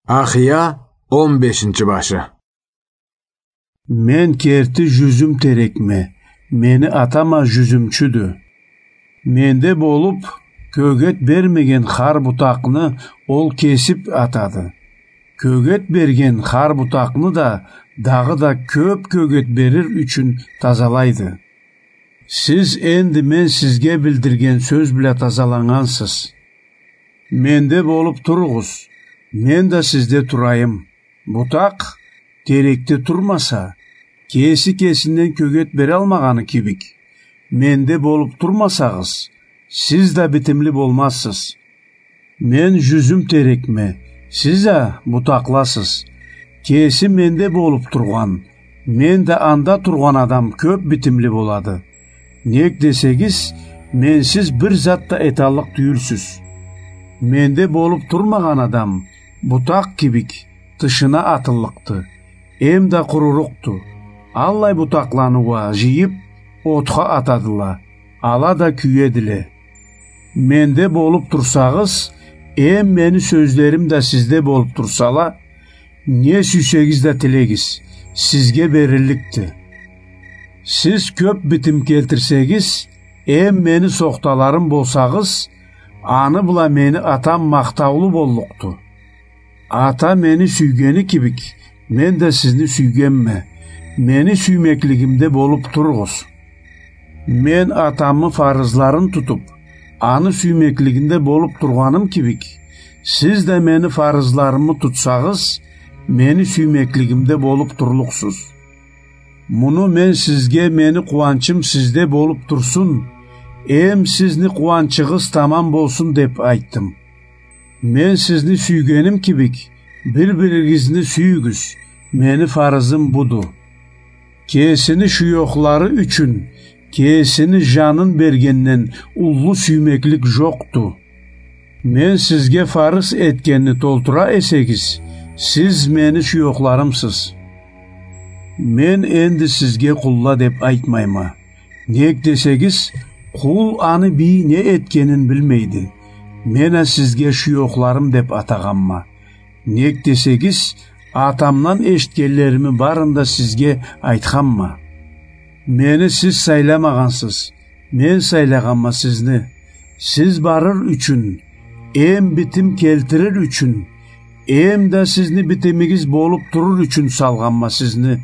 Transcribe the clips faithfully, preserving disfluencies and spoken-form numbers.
Ахия, он бешинчи башы. Мен керти жюзюм терекме, мени атам а жюзюмчюдю. Менде болуп, кёгет бермеген хар бутакъны ол кесип атады. Кёгет берген хар бутакъны да дагъыда кёп кёгет берир ючюн тазалайды. Сиз энди мен сизге билдирген сёз бла тазаланнгансыз. Менде болуп туругъуз, мен да сизде турайым. Бутакъ терекде турмаса, кеси кесинден кёгет бералмагъаны кибик, менде болуп турмасагъыз, сиз да битимли болмазсыз. Мен жюзюм терекме, сиз а бутакъласыз. Кеси менде болуп тургъан, мен да анда тургъан адам кёп битимли болады. Нек десегиз, менсиз бир зат да эталлыкъ тюйюлсюз. Менде болуп турмагъан адам бутакъ кибик тышына атыллыкъды, эм да къурурукъду. Аллай бутакъланы уа жыйып, отха атадыла, ала да кюедиле. Менде болуп турсагъыз, эм мени сёзлерим да сизде болуп турсала, не сюйсегиз да тилегиз, сизге берилликди. Сиз кёп битим келтирсегиз, эм мени сохталарым болсагъыз, аны бла мени атам махтаулу боллукъду. Ата мени сюйгени кибик, мен да сизни сюйгенме. Мени сюймеклигимде болуп туругъуз. Мен атамы фарызларын тутуп, аны сюймеклигинде болуп тургъаным кибик, сиз да мени фарызларымы тутсагъыз, мени сюймеклигимде болуп турлукъсуз. Муну мен сизге, мени къууанчым сизде болуп турсун, эм сизни къууанчыгъыз тамам болсун деп айтдым. Мен сизни сюйгеним кибик, бир-биригизни сюйюгюз, мени фарызым буду. Кесини шуёхлары ючюн кесини жанын бергенден уллу сюймеклик жокъду. Мен сизге фарыз этгенни толтура эсегиз, сиз мени шуёхларымсыз. Мен энди сизге къулла деп айтмайма. Нек десегиз, къул аны бийи не этгенин билмейди. Мен а сизге шуёхларым деп атагъанма. Нек десегиз, атамдан эшитгенлерими барын да сизге айтханма. Мени сиз сайламагъансыз, мен сайлагъанма сизни. Сиз барыр ючюн, эм битим келтирир ючюн, эм да сизни битимигиз болуп турур ючюн салгъанма сизни.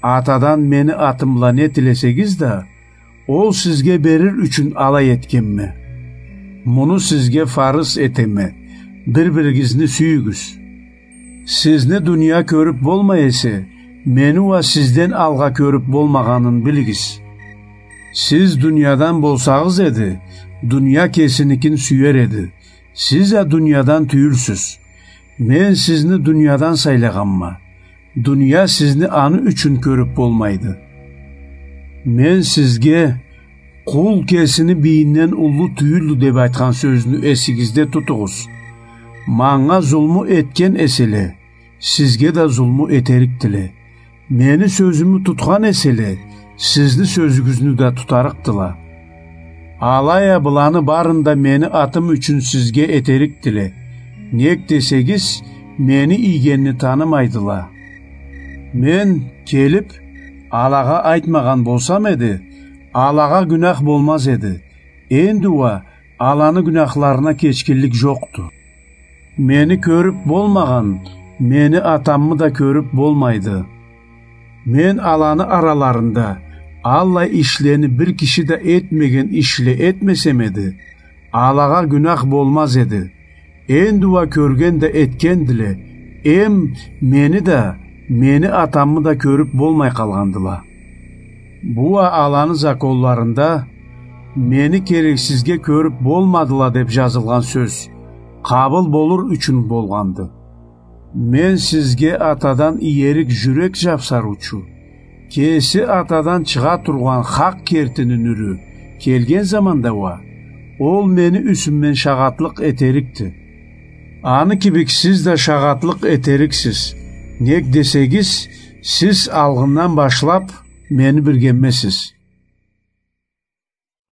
Атадан мени атым бла не тилесегиз да, ол сизге берир ючюн алай этгенме. Муну сизге фарыз этеме, бир-биригизни сюйюгюз. Сизни дуния кёрюп болмай эсе, мени уа сизден алгъа кёрюп болмагъанын билигиз. Сиз дуниядан болсагъыз эди, дуния кесиникин сюер эди. Сиз а дуниядан тюйюлсюз. Мен сизни дуниядан сайлагъанма. Дуния сизни аны ючюн кёрюп болмайды. Мен сизге, къул кесини бийинден уллу тюйюлдю деп айтхан сёзню эсигизде тутугъуз. Манга зулму этген эселе, сизге да зулму этерикдиле. Мени сёзюмю тутхан эселе, сизни сёзюгюзню да тутарыкъдыла. Алай а быланы барын да мени атым ючюн сизге этерикдиле. Нек десегиз, мени ийгенни танымайдыла. Мен келип, алагъа айтмагъан болсам эди, алагъа гюнах болмаз эди. Энди уа аланы гюнахларына кечгинлик жокъду. Мени кёрюп болмагъан, мени атаммы да кёрюп болмайды. Мен аланы араларында аллай ишлени бир киши да этмеген ишле этмесем эди, алагъа гюнах болмаз эди. Энди уа кёрген да этгендиле, эм мени да, мени атаммы да кёрюп болмай къалгъандыла. Бу уа аланы законларында мени керексизге кёрюп болмадыла деп жазылгъан сёз къабыл болур ючюн болгъанды. Мен сизге атадан иерик жюрек жапсарыучу, кеси атадан чыгъа тургъан хакъ кертини нюрю келген заманда уа, ол мени юсюмден шагъатлыкъ этерикди. Аны кибик сиз да шагъатлыкъ этериксиз. Нек десегиз, сиз алгъындан башлап мени биргеммесиз.